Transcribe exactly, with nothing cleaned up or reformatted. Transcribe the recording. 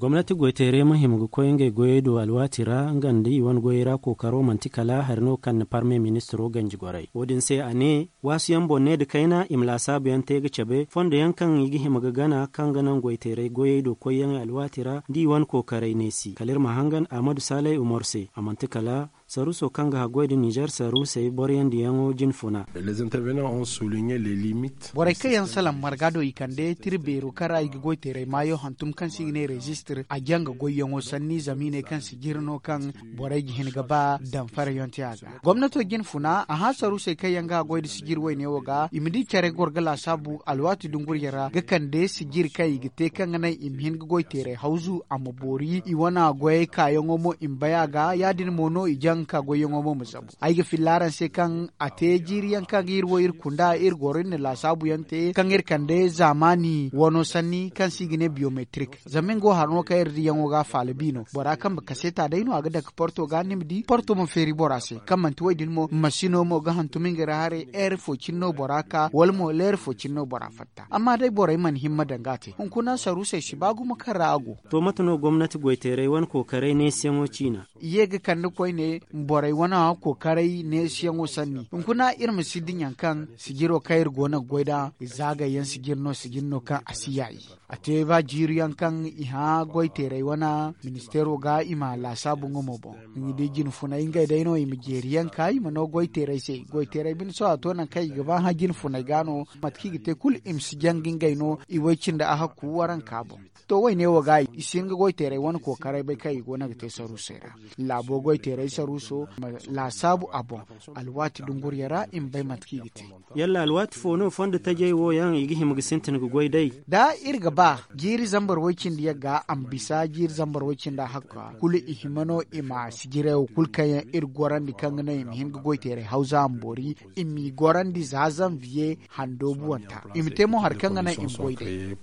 Gomnati goyteerey ma hima ga koy ngey goyey do alwaati ra nga nda i wane goyey ra kookaro manti kala hari no kaŋ na parme ministiro ganji gorey wo- din se a ne, waasu yaŋ boŋ ne nda kayna i ma laasaabu yaŋ te ga cabe fondo yaŋ kaŋ i ga hima ga gana kaŋ ga naŋ goyteerey goyey do koyyaŋey alwaati ra nda i wane kookaray neesi kala iri ma hangan ahmadu saalay umar se a manti kala saruuso kaŋ ga haggoy nda nizer saruusey boroyandiyaŋo jinfuna. Borey kaŋ yaŋ salaŋ marga do i kande tira beero kaŋ ra i ga goy teeray maayo hantum kaŋ se i ga ne rezistir a jaŋ ga goyyaŋo sanni zama i ne kaŋ sijiri no kaŋ borey ga hin ga ba daŋ farayonte a ga. Gomnato jinfuna a hã saruusey kaŋ yaŋ ga haggoy nda sijiri wayne wo ga i ma di care goro ga laasaabu alwaati dunguriya ra ga kande sijiri kaŋ i ga te kaŋ ga naŋ i ma hin ga goy teeray hawzu a ma boori i wane goyey kaayaŋo mo i ma bay a ga ya- din mo no i jaŋ ga ka goyyaŋo mo ma zabu. Ay ga filla araŋ se kaŋ a te jiiri yaŋ kaŋ ga iri wo iri kunda iri goro iri na laasaabu yaŋ te kaŋ iri kande zaamaani wano sanni kaŋ se i ga ne biyometrik zama nga wo hari no kaŋ iri diyaŋo ga a faala bi no bora kaŋ ma kaseeta day no a ga dake porto ga ni ma di porto ma feeri bora se kaŋ manti wo- din mo masino mo ga hantum nga ra haray heeri fo cine no bora ka wala mo leeri fo cine no bora fatta amma day borey mana himma danga a te hunkuna saruusey si ba gumo kaŋ ra a go. To mate no gomnati goyteeray wane kookaray neesiyaŋo ciina? I ye ga kande koyne borey wane kookaray neesiyaŋo sanni hunkuna iri ma si diɲaŋ kaŋ sijiro kaŋ iri go no ga goy nd'a zaagayyaŋ sijiri no sijiri no kaŋ a si yaayi. A te ba jiiri yaŋ kaŋ i hã goyteeray wane ministeero ga i ma laasaabu nga mo boŋ. Ni di jinfunay ngey day no i ma jeeri yaŋ ka i ma no goyteeray se goyteeray bine sohõ a to nangu kaŋ i ga ba hã jinfunay ga no mate kaŋ i ga te kulu i ma si jaŋ ga ngey no i way cindi a hakku waranka boŋ. To wayne wo ga i si hin ga goyteeray wane kookaray bay kaŋ i go no ga te saruusey ra. Laabo goyteeray saruuso ma laasaabu a boŋ alwaati dunguriya ra i ma bay mate kaŋ i ga te. Yalla alwaati fo no fondo tajey wo yaŋ i ga hima ga sintin ga goy day? Da iri ga ba jiiri zambar way cindi yagga a ma bisa jiiri zambar way cindi a hakka kulu i hima no i ma sijirey wo kulu kaŋ yaŋ iri gorandi kaŋ ga naŋ i ma hin ga goyteeray hawza a ma boori i m'i gorandi za zanviye handoobuwanta i ma te mo hari kaŋ ga naŋ i ma goy day.